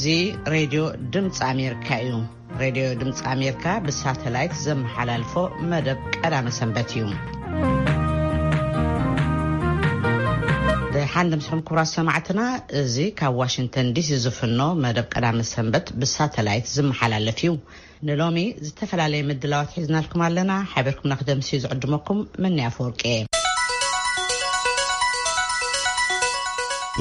እዚ ሬድዮ ድምፂ ኣሜሪካ እዩ። ሬድዮ ድምፂ ኣሜሪካ ብሳተላይት ዘመሓላልፎ መደብ ቀዳመ ሰንበት እዩ። ደሓን ድምስኹም ክቡራት ሰማዕትና፣ እዚ ካብ ዋሽንግተን ዲሲ ዝፍኖ መደብ ቀዳመ ሰንበት ብሳተላይት ዝመሓላለፍ እዩ። ንሎሚ ዝተፈላለየ ምድላዋት ሒዝናልኩም ኣለና። ሓቢርኩም ንክደምስዩ ዝዕድመኩም መኒ ኣፈወርቂ እየ።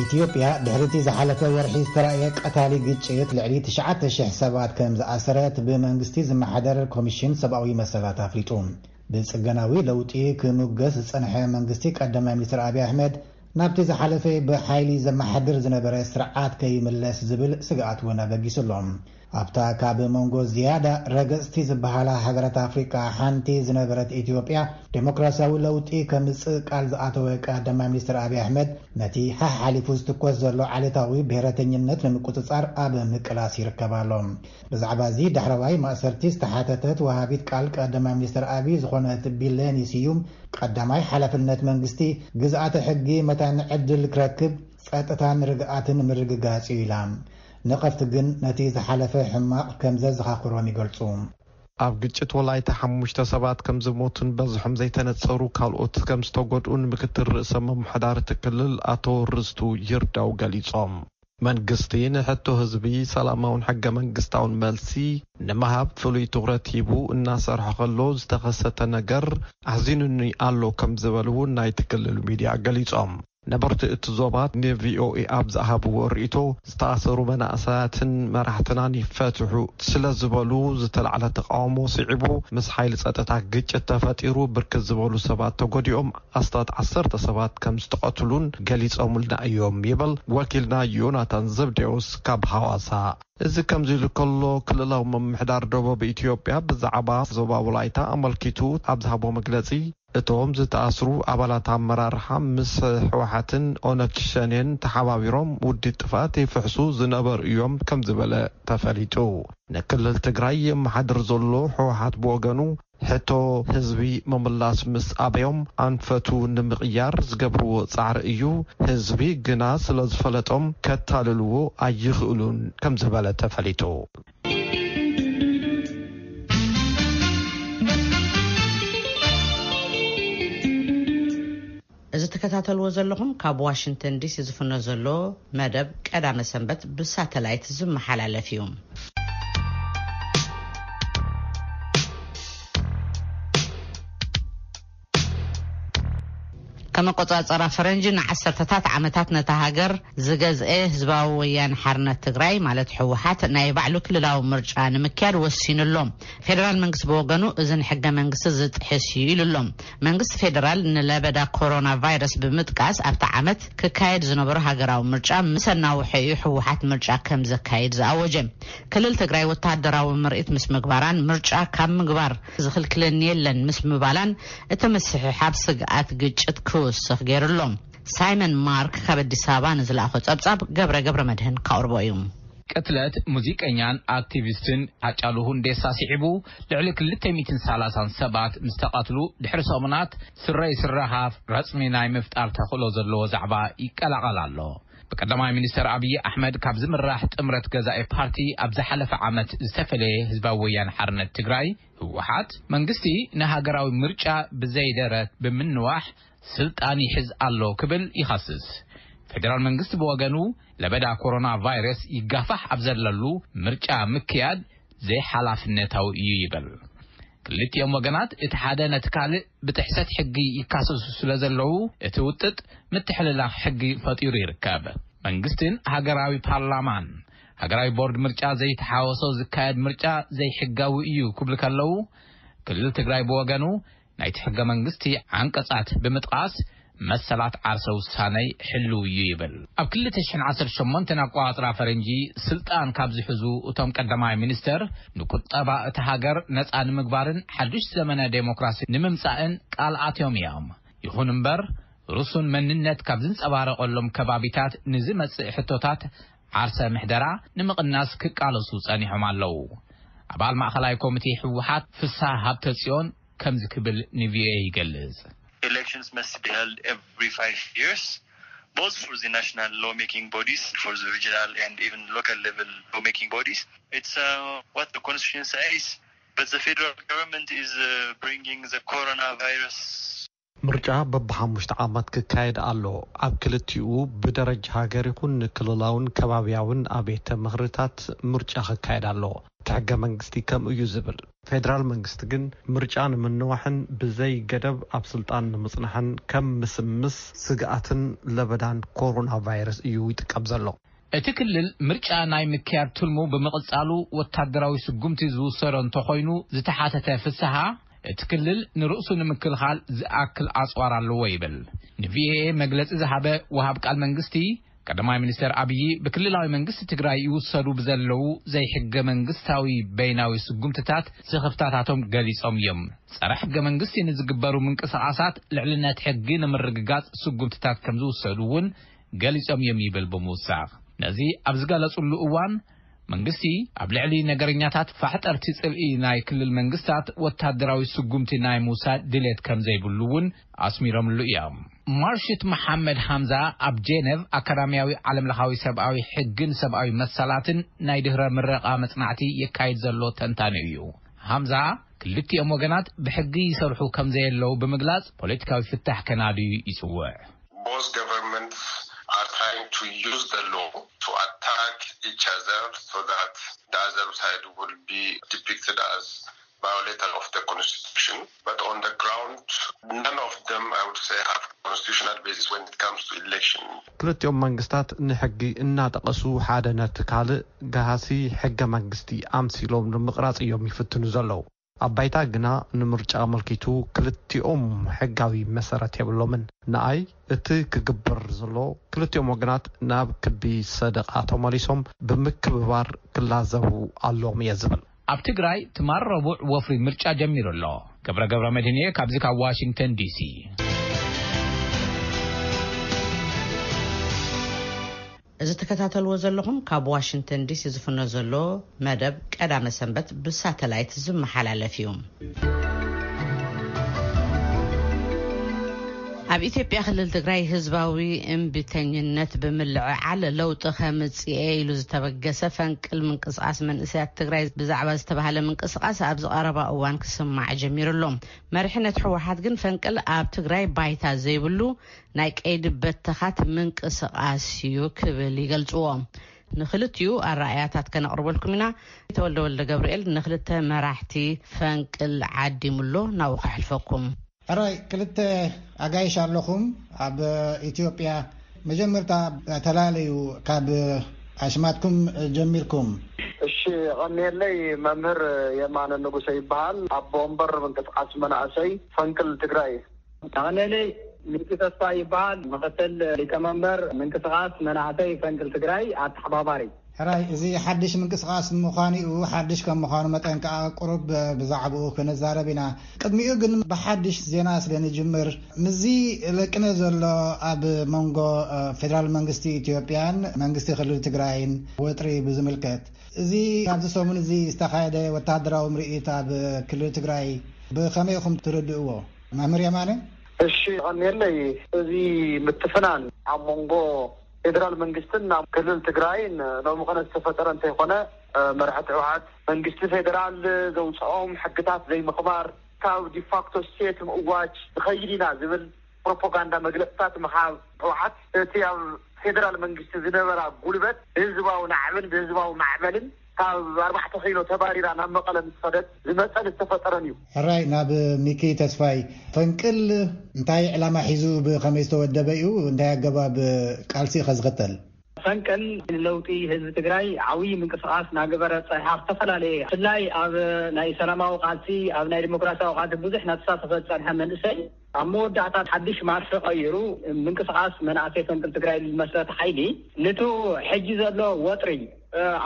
ኢትዮጵያ ድሕሪቲ ዝሓለፈ ወርሒ ዝተራእየ ቀታሊ ግጭት ልዕሊ ትሽዓተ ሽሕ ሰባት ከም ዝኣሰረት ብመንግስቲ ዝመሓደር ኮሚሽን ሰብኣዊ መሰላት ኣፍሊጡ። ብጽገናዊ ለውጢ ክሙገስ ዝጸንሐ መንግስቲ ቀዳማይ ሚኒስትር ኣብይ ኣሕመድ ናብቲ ዝሓለፈ ብሓይሊ ዘመሓድር ዝነበረ ስርዓት ከይምለስ ዝብል ስግኣት እውን ኣበጊሱ ኣሎ። ኣብታ ካብ መንጎ ዝያዳ ረገጽቲ ዝበሃላ ሃገራት ኣፍሪቃ ሓንቲ ዝነበረት ኢትዮጵያ፣ ዴሞክራሲያዊ ለውጢ ከምጽእ ቃል ዝኣተወ ቀዳማይ ሚኒስትር ኣብይ ኣሕመድ፣ ነቲ ሓሓሊፉ ዝትኮስ ዘሎ ዓሌታዊ ብሔረተኝነት ንምቁጽጻር ኣብ ምቅላስ ይርከብ ኣሎ። ብዛዕባ እዚ ዳሕረዋይ ማእሰርቲ ዝተሓተተት ወሃቢት ቃል ቀዳማይ ሚኒስትር ኣብይ ዝኾነት ቢለኒ ስዩም፣ ቀዳማይ ሓላፍነት መንግስቲ ግዝኣተ ሕጊ መታን ዕድል ክረክብ፣ ጸጥታን ርግኣትን ምርግጋጽ እዩ ኢላ። ነቐፍቲ ግን ነቲ ዝሓለፈ ሕማቕ ከም ዘዘኻኽሮም ይገልጹ። ኣብ ግጭት ወላይታ ሓሙሽተ ሰባት ከም ዝሞቱን በዝሖም ዘይተነጸሩ ካልኦት ከም ዝተጎድኡን ምክትል ርእሰ ምምሕዳር እቲ ክልል ኣቶ ርስቱ ይርዳው ገሊጾም። መንግስቲ ንሕቶ ህዝቢ ሰላማውን ሕገ መንግስታውን መልሲ ንምሃብ ፍሉይ ትኹረት ሂቡ እናሰርሐ ከሎ ዝተኸሰተ ነገር ኣሕዚኑኒ ኣሎ ከም ዝበሉ እውን ናይቲ ክልል ሚዲያ ገሊጾም። ነበርቲ እቲ ዞባ ንቪኦኤ ኣብ ዝሃብዎ ርእይቶ፣ ዝተኣሰሩ መናእሰያትን መራሕትናን ይፈትሑ ስለ ዝበሉ ዝተላዕለ ተቃውሞ ስዒቡ ምስ ሓይሊ ጸጥታ ግጭት ተፈጢሩ ብርክት ዝበሉ ሰባት ተጎዲኦም ኣስታት ዓሰርተ ሰባት ከም ዝተቐትሉን ገሊጾምልና እዮም ይብል ወኪልና ዮናታን ዘብዴዎስ ካብ ሃዋሳ። እዚ ከምዚ ኢሉ ከሎ ክልላዊ ምምሕዳር ደቡብ ኢትዮጵያ ብዛዕባ ዞባ ወላይታ ኣመልኪቱ ኣብ ዝሃቦ መግለጺ እቶም ዝተኣስሩ ኣባላት ኣመራርሓ ምስ ህወሓትን ኦነግ ሸኔን ተሓባቢሮም ውዲት ጥፍኣት ይፍሕሱ ዝነበሩ እዮም ከም ዝበለ ተፈሊጡ። ንክልል ትግራይ የመሓድር ዘሎ ህወሓት ብወገኑ ሕቶ ህዝቢ ምምላስ ምስ ኣበዮም ኣንፈቱ ንምቕያር ዝገብርዎ ጻዕሪ እዩ። ህዝቢ ግና ስለ ዝፈለጦም ከታልልዎ ኣይኽእሉን ከም ዝበለ ተፈሊጡ። እዚ ትከታተልዎ ዘለኹም ካብ ዋሽንግተን ዲሲ ዝፍኖ ዘሎ መደብ ቀዳመ ሰንበት ብሳተላይት ዝመሓላለፍ እዩ። ከም ኣቆጻጽራ ፈረንጂ ንዓሰርተታት ዓመታት ነታ ሃገር ዝገዝኤ ህዝባዊ ወያነ ሓርነት ትግራይ ማለት ህወሓት ናይ ባዕሉ ክልላዊ ምርጫ ንምክያድ ወሲኑ ኣሎ። ፌደራል መንግስቲ ብወገኑ እዚ ንሕገ መንግስቲ ዝጥሕስ እዩ ኢሉ ኣሎ። መንግስቲ ፌደራል ንለበዳ ኮሮና ቫይረስ ብምጥቃስ ኣብቲ ዓመት ክካየድ ዝነበሮ ሃገራዊ ምርጫ ምስ ኣናውሐ እዩ ህወሓት ምርጫ ከም ዘካይድ ዝኣወጀ። ክልል ትግራይ ወታደራዊ ምርኢት ምስ ምግባራን ምርጫ ካብ ምግባር ዝኽልክለኒ የለን ምስ ምባላን እቲ ምስሕሓብ ስግኣት ግጭት ክውስኽ ገይሩ ኣሎ። ሳይመን ማርክ ካብ ኣዲስ ኣበባ ንዝለኣኾ ጸብጻብ ገብረ ገብረ መድህን ካቕርቦ እዩ። ቅትለት ሙዚቀኛን ኣክቲቪስትን ሃጫሉ ሁንዴሳ ስዒቡ ልዕሊ ክልተ ሚእትን ሰላሳን ሰባት ምስ ተቐትሉ ድሕሪ ሰሙናት ስረይ ስረ ሃፍ ረጽሚ ናይ ምፍጣር ተኽእሎ ዘለዎ ዛዕባ ይቀላቐል ኣሎ። ብቀዳማይ ሚኒስተር ኣብይ ኣሕመድ ካብ ዝምራሕ ጥምረት ገዛኢ ፓርቲ ኣብ ዝሓለፈ ዓመት ዝተፈለየ ህዝባዊ ወያነ ሓርነት ትግራይ፣ ህወሓት፣ መንግስቲ ንሃገራዊ ምርጫ ብዘይደረት ብምንዋሕ ስልጣን ይሕዝ ኣሎ ክብል ይኸስስ። ፌደራል መንግስቲ ብወገኑ ለበዳ ኮሮና ቫይረስ ይጋፋሕ ኣብ ዘለሉ ምርጫ ምክያድ ዘይሓላፍነታዊ እዩ ይብል። ክልቲኦም ወገናት እቲ ሓደ ነቲ ካልእ ብጥሕሰት ሕጊ ይካሰሱ ስለ ዘለዉ እቲ ውጥጥ ምትሕልላፍ ሕጊ ፈጢሩ ይርከብ። መንግስትን ሃገራዊ ፓርላማን ሃገራዊ ቦርድ ምርጫ ዘይተሓወሶ ዝካየድ ምርጫ ዘይሕጋዊ እዩ ክብሉ ከለዉ፣ ክልል ትግራይ ብወገኑ ናይቲ ሕገ መንግስቲ ዓንቀጻት ብምጥቓስ መሰላት ዓርሰ ውሳነይ ሕልው እዩ ይብል። ኣብ ክልተ ሽሕን ዓሰርተ ሸሞንተን ኣቆጻጽራ ፈረንጂ ስልጣን ካብ ዝሕዙ እቶም ቀዳማይ ሚኒስተር ንቁጠባ እታ ሃገር ነጻ ንምግባርን ሓዱሽ ዘመነ ዴሞክራሲ ንምምጻእን ቃል ኣትዮም እዮም። ይኹን እምበር ርሱን መንነት ካብ ዝንጸባረቐሎም ከባቢታት ንዝመጽእ ሕቶታት ዓርሰ ምሕደራ ንምቕናስ ክቃለሱ ጸኒሖም ኣለዉ። ኣባል ማእኸላይ ኮሚቴ ህወሓት ፍስሃ ሃብተጽዮን ከምዚ ክብል ንቪኦኤ ይገልጽ። Elections must be held every five years. both for the national lawmaking bodies, for the regional and even local level lawmaking bodies. It's uh, what the constitution says. But the federal government is uh, bringing the coronavirus. ምርጫ በብሓሙሽተ ዓመት ክካየድ ኣሎ። ኣብ ክልቲኡ ብደረጃ ሃገር ይኹን ክልላውን ከባብያውን ኣብያተ ምኽርታት ምርጫ ክካየድ ኣሎ። እቲ ሕገ መንግስቲ ከምኡ እዩ ዝብል። ፌዴራል መንግስቲ ግን ምርጫ ንምንዋሕን ብዘይ ገደብ ኣብ ስልጣን ንምጽናሕን ከም ምስምስ ስግኣትን ለበዳን ኮሮና ቫይረስ እዩ ይጥቀም ዘሎ። እቲ ክልል ምርጫ ናይ ምክያድ ትልሙ ብምቕጻሉ ወታደራዊ ስጉምቲ ዝውሰዶ እንተኾይኑ ዝተሓተተ ፍስሃ፣ እቲ ክልል ንርእሱ ንምክልኻል ዝኣክል ኣጽዋር ኣለዎ ይብል። ንቪኦኤ መግለጺ ዝሃበ ወሃብ ቃል መንግስቲ፣ ቀዳማይ ሚኒስተር ኣብዪ ብክልላዊ መንግስቲ ትግራይ ይውሰዱ ብዘለዉ ዘይሕገ መንግስታዊ በይናዊ ስጉምትታት ስኽፍታታቶም ገሊጾም እዮም። ጸረ ሕገ መንግስቲ ንዝግበሩ ምንቅስቓሳት ልዕልነት ሕጊ ንምርግጋጽ ስጉምትታት ከም ዝውሰዱ እውን ገሊጾም እዮም ይብል ብምውሳኽ፣ ነዚ ኣብ ዝገለጹሉ እዋን መንግስቲ ኣብ ልዕሊ ነገረኛታት ፋሕጠርቲ ጽልኢ ናይ ክልል መንግስታት ወታደራዊ ስጉምቲ ናይ ምውሳድ ድሌት ከም ዘይብሉ እውን ኣስሚሮምሉ እዮም። ማርሽት መሓመድ ሃምዛ ኣብ ጄነቭ ኣካዳሚያዊ ዓለምለኻዊ ሰብኣዊ ሕግን ሰብኣዊ መሰላትን ናይ ድህረ ምረቓ መጽናዕቲ የካይድ ዘሎ ተንታኒ እዩ። ሃምዛ ክልቲኦም ወገናት ብሕጊ ይሰርሑ ከም ዘየለዉ ብምግላጽ ፖለቲካዊ ፍታሕ ከናድዩ ይጽውዕ። Both governments are trying to use the law to attack each other so that the other side will be depicted as violator of the constitution. But on the ground, none of them, I would say, have constitutional basis when it comes to election. ክልቲኦም መንግስታት ንሕጊ እናጠቐሱ ሓደ ነቲ ካልእ ገሃሲ ሕገ መንግስቲ ኣምሲሎም ንምቕራጽ እዮም ይፍትኑ ዘለዉ። ኣብ ባይታ ግና ንምርጫ ኣመልኪቱ ክልቲኦም ሕጋዊ መሰረት የብሎምን። ንኣይ እቲ ክግበር ዘሎ ክልቲኦም ወገናት ናብ ክቢ ሰደቓ ተመሊሶም ብምክብባር ክላዘቡ ኣለዎም እየ ዝብል። ኣብ ትግራይ ትማል ረቡዕ ወፍሪ ምርጫ ጀሚሩ ኣሎ። ገብረ ገብረ መድህን እየ ካብዚ ካብ ዋሽንግተን ዲሲ። እዚ ትከታተልዎ ዘለኹም ካብ ዋሽንግተን ዲሲ ዝፍኖ ዘሎ መደብ ቀዳመ ሰንበት ብሳተላይት ዝመሓላለፍ እዩ። ኣብ ኢትዮጵያ ክልል ትግራይ ህዝባዊ እምቢተኝነት ብምልዕዓል ለውጢ ከምጽእ ኢሉ ዝተበገሰ ፈንቅል ምንቅስቃስ መንእሰያት ትግራይ ብዛዕባ ዝተባህለ ምንቅስቃስ ኣብዚ ቀረባ እዋን ክስማዕ ጀሚሩ ኣሎ። መሪሕነት ህወሓት ግን ፈንቅል ኣብ ትግራይ ባይታ ዘይብሉ ናይ ቀይዲ በተኻት ምንቅስቃስ እዩ ክብል ይገልጽዎ። ንክልቲኡ ኣረኣእያታት ከነቕርበልኩም ኢና። ተወልደ ወልደ ገብርኤል ንክልተ መራሕቲ ፈንቅል ዓዲሙ ኣሎ፣ ናብኡ ከሕልፈኩም። ሕራይ፣ ክልተ ኣጋይሽ ኣለኹም ኣብ ኢትዮጵያ። መጀመርታ ተላለዩ፣ ካብ ኣሽማትኩም ጀሚርኩም። እሺ፣ ቐኒየለይ። መምህር የማነ ንጉሰ ይበሃል። ኣቦ ወንበር ምንቅስቃስ መናእሰይ ፈንቅል ትግራይ። ኣቐነለይ፣ ሚኪ ተስፋ ይበሃል። ምኽትል ሊቀመንበር ምንቅስቃስ መናእሰይ ፈንቅል ትግራይ ኣተሓባባሪ። ሕራይ፣ እዚ ሓድሽ ምንቅስቃስ ምዃኑ እዩ። ሓድሽ ከም ምዃኑ መጠን ከኣ ቁሩብ ብዛዕባኡ ክንዛረብ ኢና። ቅድሚኡ ግን ብሓድሽ ዜና ስለ ንጅምር፣ ምስዚ ለቅነ ዘሎ ኣብ መንጎ ፌደራል መንግስቲ ኢትዮጵያን መንግስቲ ክልል ትግራይን ወጥሪ ብዝምልከት፣ እዚ ኣብዚ ሰሙን እዚ ዝተኻየደ ወተሃደራዊ ምርኢት ኣብ ክልል ትግራይ ብኸመይ ኢኹም ትርድእዎ? መምህር የማነ። እሺ፣ ቀኒየለይ። እዚ ምትፍናን ኣብ መንጎ ፌደራል መንግስትን ኣብ ክልል ትግራይን ሎሚ ኸነ ዝተፈጠረ እንተይኮነ፣ መራሕቲ ህወሓት መንግስቲ ፌደራል ዘውፅኦም ሕግታት ዘይምኽባር፣ ካብ ዲፋክቶ ስቴት ምእዋጅ ንኸይድ ኢና ዝብል ፕሮፓጋንዳ መግለፅታት ምሃብ ህወሓት፣ እቲ ኣብ ፌደራል መንግስቲ ዝነበራ ጉልበት ብህዝባዊ ናዕብን ብህዝባዊ ማዕበልን ካብ ኣርባዕተ ኪሎ ተባሪራ ናብ መቐለ ምስ ኸደት ዝመፀን ዝተፈጠረን እዩ። ሕራይ፣ ናብ ሚኪ ተስፋይ። ፈንቅል እንታይ ዕላማ ሒዙ ብኸመይ ዝተወደበ እዩ? እንታይ ኣገባብ ቃልሲ እዩ ከዝኽተል? ፈንቅል ንለውጢ ህዝቢ ትግራይ ዓብዪ ምንቅስቃስ ናገበረ ፀኒሓ፣ ዝተፈላለየ ብፍላይ ኣብ ናይ ሰላማዊ ቃልሲ፣ ኣብ ናይ ዲሞክራሲያዊ ቃልሲ ብዙሕ ናተሳተፈ ዝፀንሐ መንእሰይ፣ ኣብ መወዳእታ ሓድሽ ማርፊ ቀይሩ ምንቅስቃስ መናእሰይ ፈንቅል ትግራይ ዝመስረተ ሓይሊ፣ ንቱ ሕጂ ዘሎ ወጥሪ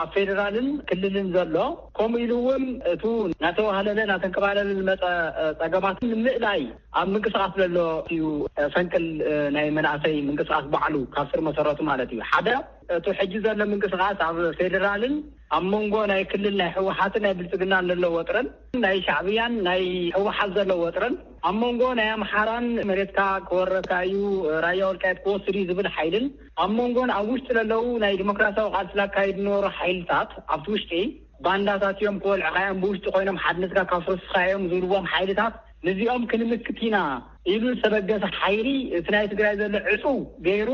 ኣብ ፌደራልን ክልልን ዘሎ፣ ከምኡ ኢሉ እውን እቱ እናተዋህለለ እናተንከባለለ ዝመፀ ፀገማትን ንምእላይ ኣብ ምንቅስቃስ ዘሎ እዩ። ፈንቅል ናይ መናእሰይ ምንቅስቃስ ባዕሉ ካብ ስር መሰረቱ ማለት እዩ። ሓደ፣ እቱ ሕጂ ዘሎ ምንቅስቃስ ኣብ ፌደራልን ኣብ መንጎ ናይ ክልል ናይ ህወሓትን ናይ ብልፅግናን ዘሎ ወጥረን፣ ናይ ሻዕብያን ናይ ህወሓት ዘሎ ወጥረን፣ ኣብ መንጎ ናይ ኣምሓራን መሬትካ ክወረካ እዩ፣ ራያ ወልቃየት ክወስድ እዩ ዝብል ሓይልን ኣብ መንጎን ኣብ ውሽጢ ለለዉ ናይ ዲሞክራሲያዊ ቃልሲ ላካይድ ነበሩ ሓይልታት ኣብቲ ውሽጢ ባንዳታት እዮም፣ ክወልዕኻ እዮም፣ ብውሽጢ ኮይኖም ሓድነትካ ካፍርስኻ እዮም ዝብልዎም ሓይልታት፣ ንዚኦም ክንምክት ኢና ኢሉ ዝተበገሰ ሓይሊ፣ እቲ ናይ ትግራይ ዘሎ ዕፁ ገይሩ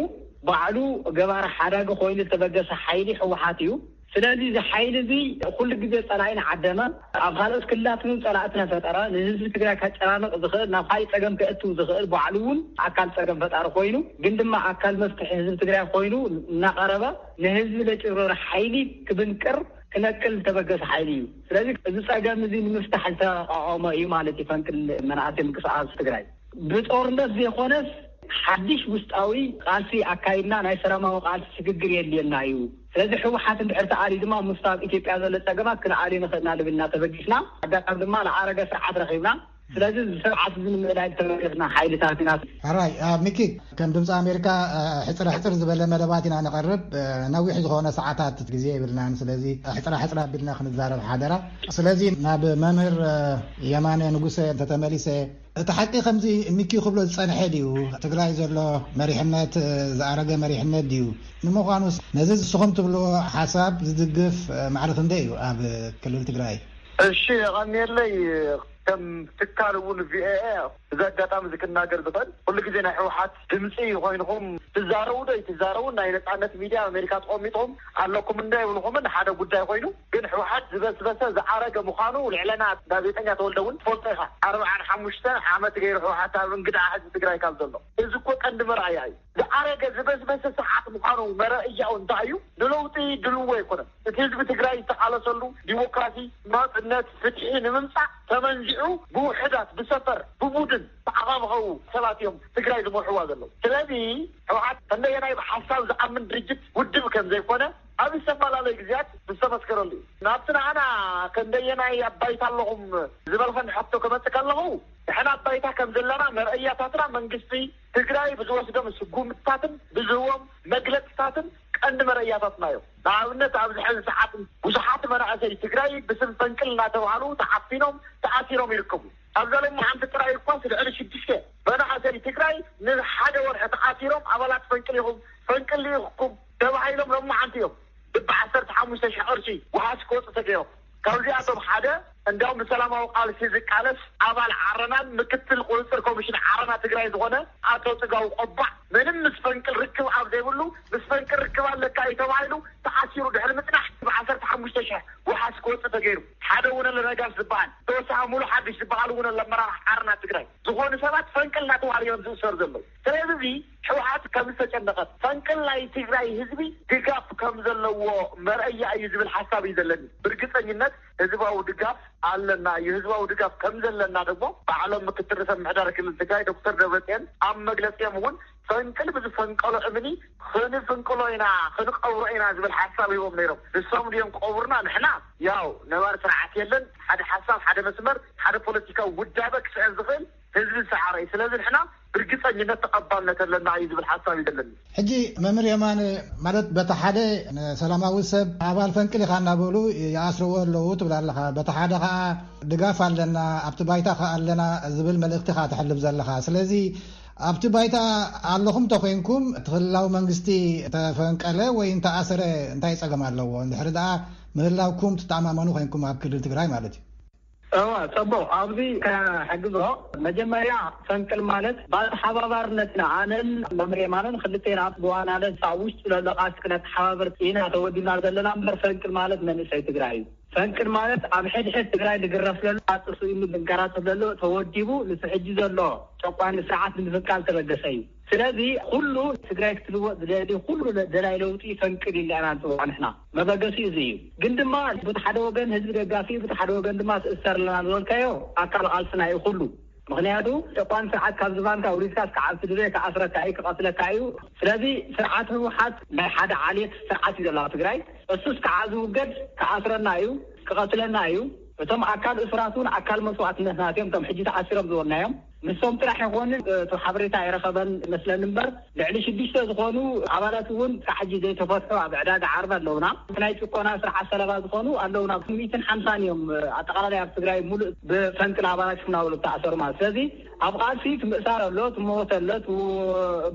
ባዕሉ ገባሪ ሓዳጊ ኮይኑ ዝተበገሰ ሓይሊ ህወሓት እዩ። ስለዚ እዚ ሓይሊ እዚ ኩሉ ግዜ ፀላኢ ንዓደመ፣ ኣብ ካልኦት ክልላት እውን ፀላእቲ ነፈጠረ፣ ንህዝቢ ትግራይ ከጨናንቕ ዝኽእል፣ ናብ ካልእ ፀገም ከእትው ዝኽእል፣ ባዕሉ እውን ኣካል ፀገም ፈጣሪ ኮይኑ ግን ድማ ኣካል መፍትሒ ህዝቢ ትግራይ ኮይኑ እናቐረበ ንህዝቢ ለጭብረረ ሓይሊ ክብንቅር ክነቅል ዝተበገሰ ሓይሊ እዩ። ስለዚ እዚ ፀገም እዚ ንምፍታሕ ዝተቋቋመ እዩ ማለት እዩ ፈንቅል መናእሰይ ምንቅስቃስ ትግራይ። ብጦርነት ዘይኮነስ ሓድሽ ውሽጣዊ ቃልሲ ኣካይድና ናይ ሰላማዊ ቃልሲ ስግግር የድልየና እዩ። ስለዚ ህወሓት እንድሕር ተኣልዩ ድማ ምስቲ ኣብ ኢትዮጵያ ዘሎ ፀገማት ክንኣልዮ ንኽእልና ልብልና ተበጊስና ኣጋጣሚ ድማ ዝዓረገ ስርዓት ረኺብና። ስለዚ እዚ ስርዓት እዚ ንምእላይ ዝተበገስና ሓይልታት ኢና። ሕራይ ሚኪ፣ ከም ድምፂ ኣሜሪካ ሕፅር ሕፅር ዝበለ መደባት ኢና ንቐርብ። ነዊሕ ዝኾነ ሰዓታት ግዜ የብልናን። ስለዚ ሕፅራ ሕፅራ ኣቢልና ክንዛረብ ሓደራ። ስለዚ ናብ መምህር የማነ ንጉሰ እንተተመሊሰ፣ እቲ ሓቂ ከምዚ ሚኪ ክብሎ ዝጸንሐ ድዩ? ትግራይ ዘሎ መሪሕነት ዝኣረገ መሪሕነት ድዩ? ንምዃኑስ ነዚ ንስኹም ትብልዎ ሓሳብ ዝድግፍ ማዕረ ክንደይ እዩ ኣብ ክልል ትግራይ? እሺ፣ የቐንየለይ። ከም ትካል እውን ቪኦኤ እዚ ኣጋጣሚ እዚ ክናገር ዝኽእል፣ ኩሉ ግዜ ናይ ህወሓት ድምፂ ኮይንኹም ትዛረቡ ዶ ይትዛረቡ፣ ናይ ነፃነት ሚድያ ኣሜሪካ ተቐሚጥኹም ኣለኩም እንዶ ይብልኹምን ሓደ ጉዳይ ኮይኑ፣ ግን ህወሓት ዝበስበሰ ዝኣረገ ምዃኑ ልዕለና ጋዜጠኛ ተወልደ እውን ትፈልጦ ኢኻ። ኣርብዓን ሓሙሽተ ዓመት ገይሩ ህወሓት ኣብ እንግድዓ ህዝቢ ትግራይ ካብ ዘሎ፣ እዚ እኮ ቀንዲ መርኣያ እዩ። ዝኣረገ ዝበስበሰ ስርዓት ምዃኑ መረእያኡ እንታይ እዩ? ንለውጢ ድልዎ ኣይኮነን። እቲ ህዝቢ ትግራይ ዝተቓለሰሉ ዲሞክራሲ፣ ናፅነት፣ ፍትሒ ንምምፃእ ተመንዚዑ ብውሕዳት፣ ብሰፈር፣ ብቡድን ተዓኻምኸው ሰባት እዮም ትግራይ ዝመርሕዋ ዘለዉ። ስለዚ ህወሓት ከንደየናይ ብሓሳብ ዝኣምን ድርጅት ውድብ ከም ዘይኮነ ኣብ ዝተፈላለዩ ግዜያት ዝተመስከረሉ እዩ። ናብቲ ንዓና ከንደየናይ ኣብ ባይታ ኣለኹም ዝበልኸን ሕቶ ክመፅእ ከለኹ፣ ንሕና ኣብ ባይታ ከም ዘለና መርኣያታትና መንግስቲ ትግራይ ብዝወስዶም ስጉምትታትን ብዝህቦም መግለፅታትን ቀንዲ መረእያታትና እዮም። ንኣብነት ኣብዚ ሕዚ ሰዓት ብዙሓት መናእሰይ ትግራይ ብስም ፈንቅል እናተባህሉ ተዓፊኖም ተኣሲሮም ይርከቡ። ኣብዛ ሎማዓንቲ ጥራይ እኳስ ልዕሊ ሽዱሽተ መናእሰይ ትግራይ ንሓደ ወርሒ ተኣሲሮም ኣባላት ፈንቅል ኢኹም፣ ፈንቅል ኢኹም ተባሂሎም ሎማዓንቲ እዮም ብዓሰርተ ሓሙሽተ ሺሕ ቅርሺ ዋሕስ ክወፁ ተገይሮም። ካብዚኣቶም ሓደ እንዲያውም ብሰላማዊ ቃልሲ ዝቃለስ ኣባል ዓረናን ምክትል ቁፅፅር ኮሚሽን ዓረና ትግራይ ዝኾነ ኣቶ ፅጋቡ ቆባዕ ምንም ምስ ፈንቅል ርክብ ኣብ ዘይብሉ ምስ ፈንቅል ርክብ ኣለካ እዩ ተባሂሉ ተኣሲሩ ድሕሪ ምፅናሕ ብዓሰርተ ሓሙሽተ ሺሕ ዋሕስ ክወፅእ ተገይሩ። ሓደ ውነለ ነጋሽ ዝበሃል ተወሳኺ ሙሉ ሓድሽ ዝበሃል እውን ኣመራርሓ ዓረና ትግራይ ዝኾኑ ሰባት ፈንቅል እናተባህሉ እዮም ዝእሰሩ ዘለዉ። ስለዚ እዚ ህወሓት ከም ዝተጨነቐት ፈንቅል ናይ ትግራይ ህዝቢ ድጋፍ ከም ዘለዎ መርኣያ እዩ ዝብል ሓሳብ እዩ ዘለኒ። ብርግፀኝነት ህዝባዊ ድጋፍ ኣለና እዩ። ህዝባዊ ድጋፍ ከም ዘለና ደግሞ ባዕሎም ምክትል ርእሰ ምምሕዳር ክልል ትግራይ ዶክተር ደብረፅዮን ኣብ መግለፂኦም እውን ፈንቅል ብዝፈንቀሎ እምኒ ክንፍንቅሎ ኢና፣ ክንቀብሮ ኢና ዝብል ሓሳብ ሂቦም ነይሮም። ንሶም ድዮም ቀቡርና? ንሕና ያው ነባር ስርዓት የለን፣ ሓደ ሓሳብ፣ ሓደ መስመር፣ ሓደ ፖለቲካዊ ውዳበ ክስዕብ ዝኽእል ህዝቢ ዝሰዓረ እዩ። ስለዚ ንሕና ብርግፀኝነት ተቐባልነት ኣለና እዩ ዝብል ሓሳብ እዩ ዘለኒ። ሕጂ መምህር የማነ፣ ማለት በቲ ሓደ ንሰላማዊ ሰብ ኣባል ፈንቅል ኢኻ እናበሉ ይኣስርዎ ኣለዉ ትብል ኣለኻ። በቲ ሓደ ኸዓ ድጋፍ ኣለና፣ ኣብቲ ባይታ ኸዓ ኣለና ዝብል መልእኽቲ ኸዓ ተሕልፍ ዘለኻ። ስለዚ ኣብቲ ባይታ ኣለኹም ተኾይንኩም እቲ ክልላዊ መንግስቲ እንተፈንቀለ ወይ እንተኣሰረ እንታይ ጸገም ኣለዎ? እንድሕሪ ደኣ ምህላውኩም ትተኣማመኑ ኮይንኩም ኣብ ክልል ትግራይ ማለት እዩ። እዋ፣ ጽቡቕ። ኣብዚ ከሕግዞ፣ መጀመርያ ፈንቅል ማለት ብኣተሓባባርነትና ኣነን መምህር የማነን ክልቴና ብዋናነት ኣብ ውሽጢ ዘሎ ቃልሲ ክነተሓባብር ኢና ተወዲብና ዘለና እምበር ፈንቅል ማለት መንእሰይ ትግራይ እዩ። ፈንቅል ማለት ኣብ ሕድሕድ ትግራይ ዝግረፍ ዘሎ፣ ኣጥሱ ኢሉ ዝንከራተት ዘሎ ተወዲቡ ንሱ ሕጂ ዘሎ ጨቋኒ ስርዓት ንምፍንቃል ተበገሰ እዩ። ስለዚ ኩሉ ትግራይ ክትልወጥ ዝደሊ ኩሉ ደላይ ለውጢ ፈንቅል ኢልና ኢና ንፅውዖ ንሕና። መበገሲኡ እዚ እዩ። ግን ድማ በቲ ሓደ ወገን ህዝቢ ደጋፊ፣ በቲ ሓደ ወገን ድማ ትእሰር ኣለና ዝበልካዮ ኣካል ቃልስና እዩ ኩሉ። ምኽንያቱ ጨቋን ስርዓት ካብ ዝባንካ ውሪድካ እስከ ዓብቲ ድበ ክኣስረካ እዩ፣ ክቐትለካ እዩ። ስለዚ ስርዓት ህወሓት ናይ ሓደ ዓሌት ስርዓት እዩ ዘሎ ኣብ ትግራይ። እሱስ ከዓ ዝውገድ ክኣስረና እዩ፣ ክቐትለና እዩ። እቶም ኣካል እሱራት እውን ኣካል መስዋእትነትና እዮም። እቶም ሕጂ ተኣሲሮም ዝበልናዮም ንሶም ጥራሕ ይኾኑ። እቲ ሓበሬታ ኣይረኸበን መስለኒ እምበር ልዕሊ ሽዱሽተ ዝኾኑ ኣባላት እውን ክሳብ ሕጂ ዘይተፈትሑ ኣብ ዕዳጋ ዓርቢ ኣለውና። ናይ ጭቆና ስርዓት ሰለባ ዝኾኑ ኣለውና። ሚእትን ሓምሳን እዮም ኣጠቓላላይ ኣብ ትግራይ ሙሉእ ብፈንቅል ኣባላት እናበሉ ተኣሰሩ ማለት። ስለዚ ኣብ ቃልሲ ትምእሳር ኣሎ፣ ትመወት ኣሎ፣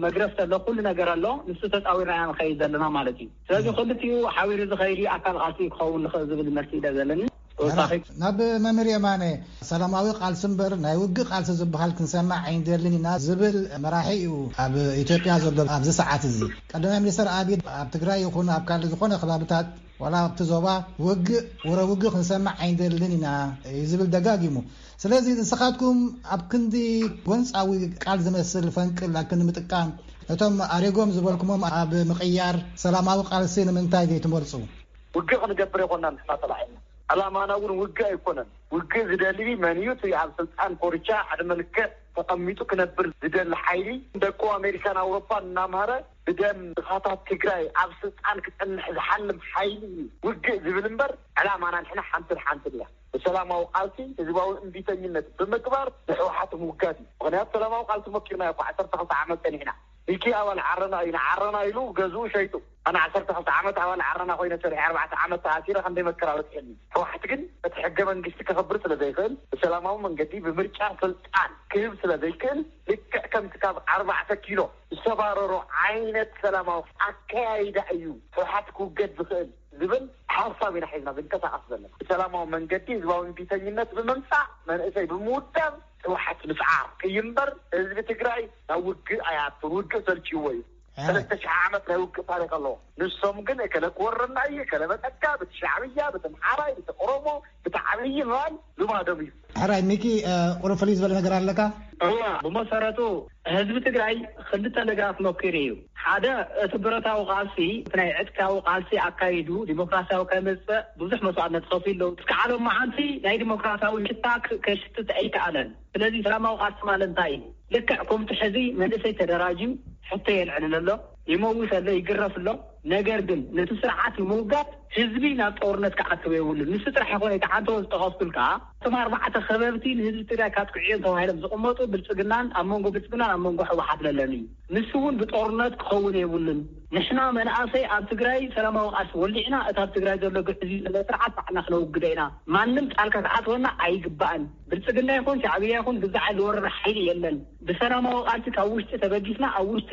መግረፍቲ ኣሎ፣ ኩሉ ነገር ኣሎ። ንሱ ተፃዊርና ኢና ንኸይድ ዘለና ማለት እዩ። ስለዚ ክልቲኡ ሓቢሩ ዝኸይድ ኣካል ቃልሲ ክኸውን ንኽእል ዝብል መልሲ ኢለ ዘለኒ። ተወሳኺ ናብ መምህር የማነ፣ ሰላማዊ ቃልሲ እምበር ናይ ውግእ ቃልሲ ዝበሃል ክንሰማዕ ኣይንደልን ኢና ዝብል መራሒ እዩ ኣብ ኢትዮጵያ ዘሎ ኣብዚ ሰዓት እዚ። ቀዳማይ ሚኒስትር ኣቢይ ኣብ ትግራይ ይኹን ኣብ ካልእ ዝኾነ ከባብታት ዋላ ኣብቲ ዞባ ውግእ፣ ወረ ውግእ ክንሰማዕ ኣይንደልን ኢና እዩ ዝብል ደጋጊሙ። ስለዚ ንስኻትኩም ኣብ ክንዲ ጎንፃዊ ቃል ዝመስል ፈንቅል ኣብ ክንዲ ምጥቃም፣ ነቶም ኣሪጎም ዝበልኩሞም ኣብ ምቕያር ሰላማዊ ቃልሲ ንምንታይ ዘይትመርፁ? ውግእ ክንገብር የኮና ንሕና ተላዒልና። ዕላማና እውን ውግእ ኣይኮነን። ውግእ ዝደሊ መን እዩ? እቲ ኣብ ስልጣን ኮርቻ ዕድመ ልክዕ ተቐሚጡ ክነብር ዝደሊ ሓይሊ ደቁ ኣሜሪካን ኣውሮፓን እናምሃረ ብደም ድኻታት ትግራይ ኣብ ስልጣን ክፀንሕ ዝሓልም ሓይሊ እዩ ውግእ ዝብል እምበር ዕላማና ንሕና ሓንትን ሓንትን እያ። ብሰላማዊ ቃልሲ ህዝባዊ እምቢተኝነት ብምግባር ንሕወሓት ምውጋድ እዩ። ምክንያቱ ሰላማዊ ቃልሲ ሞኪርና እኮ ዓሰርተ ክልተ ዓመት ፀኒሕና። ሚኪ ኣባል ዓረና እዩ፣ ንዓረና ኢሉ ገዝኡ ሸይጡ። ኣነ ዓሰርተ ክልተ ዓመት ኣባል ዓረና ኮይነ ሰሪሐ ኣርባዕተ ዓመት ተኣሲረ ክንደይ መከራ በፂሐኒ። ህወሓት ግን እቲ ሕገ መንግስቲ ከኽብር ስለ ዘይኽእል ብሰላማዊ መንገዲ ብምርጫ ስልጣን ክህብ ስለ ዘይክእል ልክዕ ከምቲ ካብ ኣርባዕተ ኪሎ ዝተባረሮ ዓይነት ሰላማዊ ኣከያይዳ እዩ ህወሓት ክውገድ ዝኽእል ዝብል ሓሳብ ኢና ሒዝና ዝንቀሳቐስ ዘለና። ብሰላማዊ መንገዲ ህዝባዊ እምቢተኝነት ብምምፃእ መንእሰይ ብምውዳብ ህወሓት ምስዓር እዩ እምበር ህዝቢ ትግራይ ናብ ውግእ ኣይኣቱን። ውግእ ሰልችዎ እዩ። ሰለስተ ሽሕ ዓመት ናይ ውግእ ታሪክ ኣለዎ። ንሶም ግን እከለ ክወረና እዩ፣ እከለ መፀካ፣ ብቲ ሻዕብያ፣ ብቲ ምሓራይ፣ ብቲ ኦሮሞ፣ ብቲ ዓብዪ ምባል ልማዶም እዩ። ሕራይ ሚኪ፣ ቁሩብ ፍልይ ዝበለ ነገር ኣለካ? እዋ፣ ብመሰረቱ ህዝቢ ትግራይ ክልተ ነገራት መኪሩ እዩ። ሓደ እቲ ብረታዊ ቃልሲ፣ እቲ ናይ ዕጥቃዊ ቃልሲ ኣካይዱ ዲሞክራሲያዊ ከመፅእ ብዙሕ መስዋእትነት ከፊሉ ኣለዉ። እስከ ዓለም መዓንቲ ናይ ዲሞክራሲያዊ ሽታ ከሽትት ኣይከኣለን። ስለዚ ሰላማዊ ቃልሲ ማለት እንታይ እዩ? ልክዕ ከምቲ ሕዚ መንእሰይ ተደራጅዩ ሕቶ የልዕል ኣሎ፣ ይመውት ኣሎ፣ ይግረፍ ኣሎ። ነገር ግን ነቲ ስርዓት ንምውጋድ ህዝቢ ናብ ጦርነት ክኣትው የብሉን። ንሱ ጥራሕ ይኾነ እቲ ሓንተ ዝጠቐስኩልካ እቶም ኣርባዕተ ከበብቲ ንህዝቢ ትግራይ ካጥቅዑ እዮም ተባሂሎም ዝቕመጡ ብልፅግናን ኣብ መንጎ ብልፅግናን ኣብ መንጎ ህወሓት ለለን እዩ። ንሱ እውን ብጦርነት ክኸውን የብሉን። ንሕና መናእሰይ ኣብ ትግራይ ሰላማዊ ቃልሲ ወሊዕና እቲ ኣብ ትግራይ ዘሎ ግዕዝ ዘሎ ስርዓት ባዕልና ክነውግዶ ኢና። ማንም ጣልካ ክኣትወና ኣይግባእን። ብልፅግና ይኹን ሻዕብያ ይኹን ግዛዕ ዝወረረ ሓይሊ የለን። ብሰላማዊ ቃልሲ ካብ ውሽጢ ተበጊስና ኣብ ውሽጢ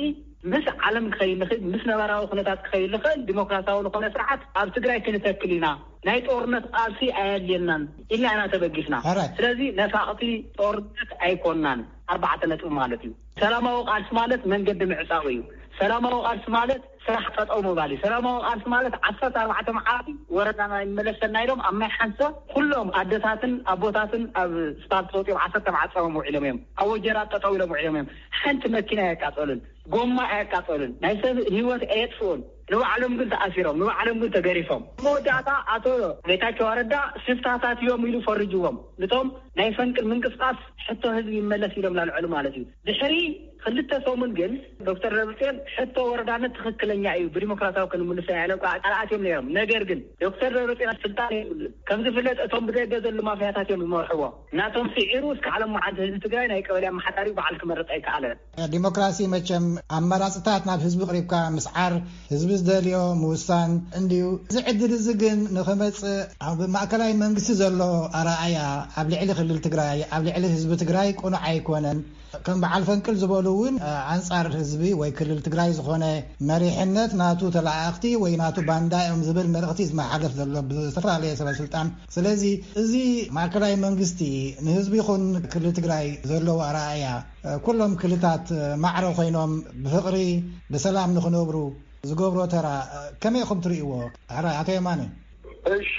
ምስ ዓለም ክኸይድ ንኽእል፣ ምስ ነባራዊ ኩነታት ክኸይድ ንኽእል ዲሞክራሲያዊ ዝኾነ ስርዓት ኣብ ትግራይ ክንተክል ኢና። ናይ ጦርነት ቃልሲ ኣየድልየናን ኢልና ኢና ተበጊስና። ስለዚ ነፋቕቲ ጦርነት ኣይኮናን። ኣርባዕተ ነጥቢ ማለት እዩ። ሰላማዊ ቃልሲ ማለት መንገዲ ምዕፃው እዩ። ሰላማዊ ቃልሲ ማለት ስራሕ ጠጠው ምባል እዩ። ሰላማዊ ቃልሲ ማለት ዓሰርተ ኣርባዕተ መዓልቲ ወረዳና ይመለሰና ኢሎም ኣብ ማይ ሓንሰ ኩሎም ኣደታትን ኣቦታትን ኣብ ስፓልት ወፂኦም ዓሰርተ መዓልቲ ፀሞም ውዒሎም እዮም። ኣብ ወጀራት ጠጠው ኢሎም ውዒሎም እዮም። ሓንቲ መኪና ኣየቃፀሉን፣ ጎማ ኣየቃፀሉን፣ ናይ ሰብ ህይወት ኣየጥፍኡን። ንባዕሎም ግን ተኣሲሮም፣ ንባዕሎም ግን ተገሪፎም። መወዳእታ ኣቶ ጌታቸው ረዳ ሽፍታታት እዮም ኢሉ ፈርጅዎም። ንቶም ናይ ፈንቅል ምንቅስቃስ ሕቶ ህዝቢ ይመለስ ኢሎም ላልዐሉ ማለት እዩ። ድሕሪ ክልተ ሰሙን ግን ዶክተር ደብረፅዮን ሕቶ ወረዳነት ትኽክለኛ እዩ፣ ብዲሞክራሲያዊ ክንምልሶ ኢና ኢሎም ከዓ ቃል ኣትዮም ነይሮም። ነገር ግን ዶክተር ደብረፅዮን ስልጣን የብሉን። ከም ዝፍለጥ እቶም ብደገ ዘለዉ ማፍያታት እዮም ዝመርሕዎ። ናቶም ስዒሩ እስከ ዓለም መዓልቲ ህዝቢ ትግራይ ናይ ቀበሌ ኣመሓዳሪ በዓል ክመርፅ ኣይከኣለን። ዲሞክራሲ መቸም ኣማራፅታት ናብ ህዝቢ ቅሪብካ ምስዓር፣ ህዝቢ ዝደልዮ ምውሳን እንድዩ። እዚ ዕድል እዚ ግን ንኽመፅእ ኣብ ማእከላይ መንግስቲ ዘሎ ኣረኣእያ ኣብ ልዕሊ ክልል ትግራይ፣ ኣብ ልዕሊ ህዝቢ ትግራይ ቅኑዕ ኣይኮነን። ከም በዓል ፈንቅል ዝበሉ እውን ኣንፃር ህዝቢ ወይ ክልል ትግራይ ዝኾነ መሪሕነት ናቱ ተለኣእኽቲ ወይ ናቱ ባንዳ እዮም ዝብል መልእኽቲ ዝመሓለፍ ዘሎ ብዝተፈላለየ ሰበ ስልጣን። ስለዚ እዚ ማእከላይ መንግስቲ ንህዝቢ ይኹን ክልል ትግራይ ዘለዎ ኣረኣእያ ኩሎም ክልታት ማዕረ ኮይኖም ብፍቕሪ ብሰላም ንኽነብሩ ዝገብሮ ተራ ከመይ ኢኹም ትርእይዎ? ሕራይ ኣቶ የማነ። እሺ፣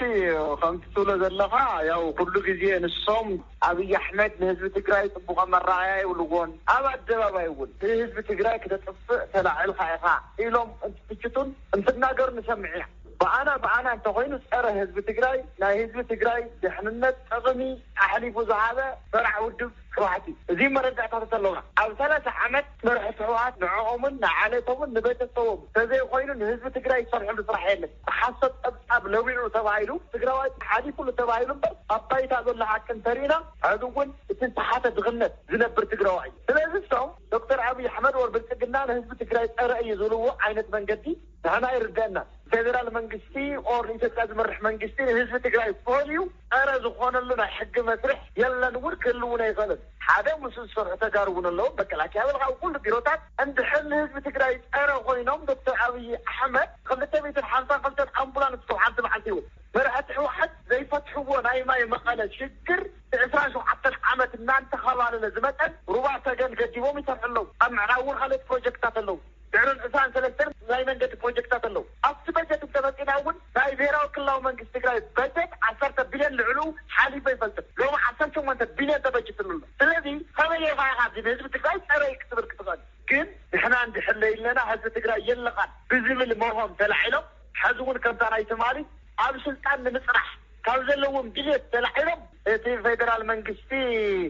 ከምቲ ትብሎ ዘለኻ ያው ኩሉ ግዜ ንሶም ኣብይ ኣሕመድ ንህዝቢ ትግራይ ፅቡቐ መረኣያ ይብልዎን ኣብ ኣደባባይ እውን ህዝቢ ትግራይ ክተጥፍእ ተላዒልካ ኢኻ ኢሎም እንትትችቱን እንትናገሩ ንሰምዕ ኢና። ብኣና ብኣና እንተኮይኑ ፀረ ህዝቢ ትግራይ ናይ ህዝቢ ትግራይ ድሕንነት ጥቕሚ ኣሕሊፉ ዝሃበ ፈራዕ ውድብ ክባሕቲ። እዚ መረዳእታታት ኣለውና። ኣብ ሰላሳ ዓመት መርሒ ህወሓት ንዕኦምን ንዓሌቶምን ንቤተሰቦም ተዘይኮይኑ ንህዝቢ ትግራይ ዝሰርሕሉ ስራሕ የለን። ብሓሶት ጸብጻብ ለዊዑ ተባሂሉ ትግራዋይ ሓሊፉሉ ተባሂሉ እምበር ኣብ ባይታ ዘሎ ሓቂ እንተሪእና ሕዚ እውን እቲ ዝተሓተ ድኽነት ዝነብር ትግራዋይ እዩ። ስለዚ እሶም ዶክተር ኣብይ ኣሕመድ ወር ብልጽግና ንህዝቢ ትግራይ ጸረ እዩ ዝብልዎ ዓይነት መንገዲ ንሕና ይርደአና። ፌደራል መንግስቲ ኦር ንኢትዮጵያ ዝመርሕ መንግስቲ ንህዝቢ ትግራይ ፈልዩ ጸረ ዝኾነሉ ናይ ሕጊ መስርሕ የለን እውን ክህልውን ኣይኽእልን። ሓደ ምስ ዝሰርሑ ተጋሩ እውን ኣለዉ። መከላከያ በልካ ኣብ ኩሉ ቢሮታት እንድሕር ንህዝቢ ትግራይ ጸረ ኮይኖም ዶክተር ኣብይ ኣሕመድ ክልተ ሚእትን ሓምሳን ክልተን ኣምቡላንስ ካብ ሓንቲ መዓልቲ ይውል መራሕቲ ህወሓት ዘይፈትሕዎ ናይ ማይ መቐለ ሽግር ዕስራን ሸውዓተን ዓመት እናንተኸባለለ ዝመፀን ሩባ ሰገን ገዲቦም ይሰርሑ ኣለዉ። ኣብ ምዕራብ እውን ካልኦት ፕሮጀክታት ኣለዉ። ድሕርን ዕስራን ሰለስተን ናይ መንገዲ ፕሮጀክታት ኣለዉ። ኣብቲ በጀት እንተመፂና እውን ናይ ብሔራዊ ክልላዊ መንግስቲ ትግራይ በጀት ዓሰርተ ቢልዮን ልዕሉ ሓሊፉ ኣይፈልጥን። ሎሚ ዓሰርተ ሸሞንተ ቢልዮን ተበጅትሉ ኣሎ። ስለዚ ከመይ ጌርካ ኢኻ እዚ ንህዝቢ ትግራይ ፀረ ክትብል ክትኽእል? ግን ንሕና እንድሕር ለይለና ህዝቢ ትግራይ የለኻን ብዝብል መርሆም ተላዒሎም ሕዚ እውን ከምታ ናይ ትማሊ ኣብ ስልጣን ንምፅራሕ ካብ ዘለዎም ድሌት ተላዒሎም እቲ ፌደራል መንግስቲ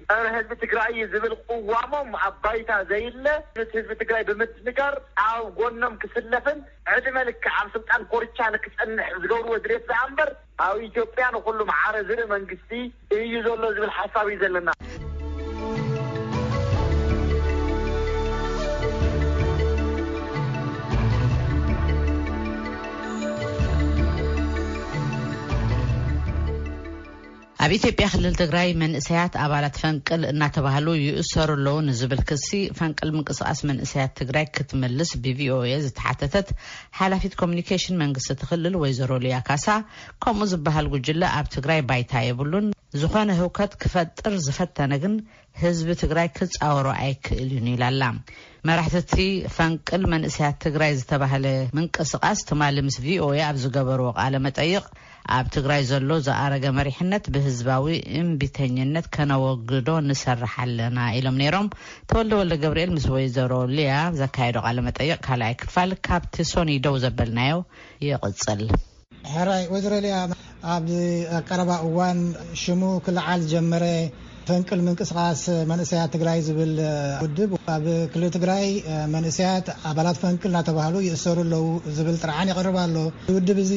ጸረ ህዝቢ ትግራይ እዩ ዝብል ቅዋሞም ኣብ ባይታ ዘይለ እቲ ህዝቢ ትግራይ ብምድንጋር ኣብ ጎኖም ክስለፍን ዕድመ ልክዕ ኣብ ስልጣን ኮርቻ ንክጸንሕ ዝገብርዎ ድሌት ዝኣ እምበር ኣብ ኢትዮጵያ ንኩሉ መዓረ ዝርኢ መንግስቲ እዩ ዘሎ ዝብል ሓሳብ እዩ ዘለና። ኣብ ኢትዮጵያ ክልል ትግራይ መንእሰያት ኣባላት ፈንቅል እናተባህሉ ይእሰሩ ኣለዉ ንዝብል ክሲ ፈንቅል ምንቅስቃስ መንእሰያት ትግራይ ክትመልስ ብቪኦኤ ዝተሓተተት ሓላፊት ኮሚኒኬሽን መንግስቲ እቲ ክልል ወይዘሮ ሊያ ካሳ ከምኡ ዝበሃል ጉጅለ ኣብ ትግራይ ባይታ የብሉን፣ ዝኾነ ህውከት ክፈጥር ዝፈተነ ግን ህዝቢ ትግራይ ክፃወሮ ኣይክእልን ኢላ ኣላ። መራሕቲ እቲ ፈንቅል መንእሰያት ትግራይ ዝተባህለ ምንቅስቃስ ትማሊ ምስ ቪኦኤ ኣብ ዝገበርዎ ቃለ መጠይቅ ኣብ ትግራይ ዘሎ ዝኣረገ መሪሕነት ብህዝባዊ እምቢተኝነት ከነወግዶ ንሰርሕ ኣለና ኢሎም ነይሮም። ተወልደ ወልደ ገብርኤል ምስ ወይዘሮ ሊያ ዘካየዶ ቃለ መጠይቅ ካልኣይ ክፋል ካብቲ ሶኒ ደው ዘበልናዮ ይቕጽል። ሕራይ ወይዘሮ ሊያ፣ ኣብ ቀረባ እዋን ሽሙ ክለዓል ዝጀመረ ፈንቅል ምንቅስቃስ መንእሰያት ትግራይ ዝብል ውድብ ኣብ ክልል ትግራይ መንእሰያት ኣባላት ፈንቅል እናተባህሉ ይእሰሩ ኣለዉ ዝብል ጥርዓን ይቐርብ ኣሎ። እዚ ውድብ እዚ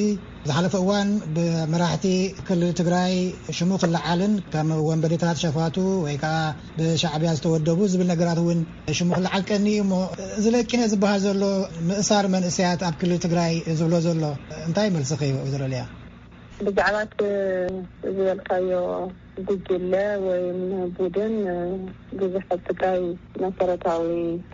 ዝሓለፈ እዋን ብመራሕቲ ክልል ትግራይ ሽሙ ክለዓልን ከም ወንበዴታት ሸፋቱ ወይ ከዓ ብሻዕብያ ዝተወደቡ ዝብል ነገራት እውን ሽሙ ክለዓል ቀኒ እዩ እሞ፣ እዚ ለቂነ ዝበሃል ዘሎ ምእሳር መንእሰያት ኣብ ክልል ትግራይ ዝብሎ ዘሎ እንታይ መልስኺ እዩ ወይዘሮ ሊያ? ብዛዕባ እቲ ዝበልካዮ ጉጅለ ወይም ቡድን ብዙሕ ኣብ ትግራይ መሰረታዊ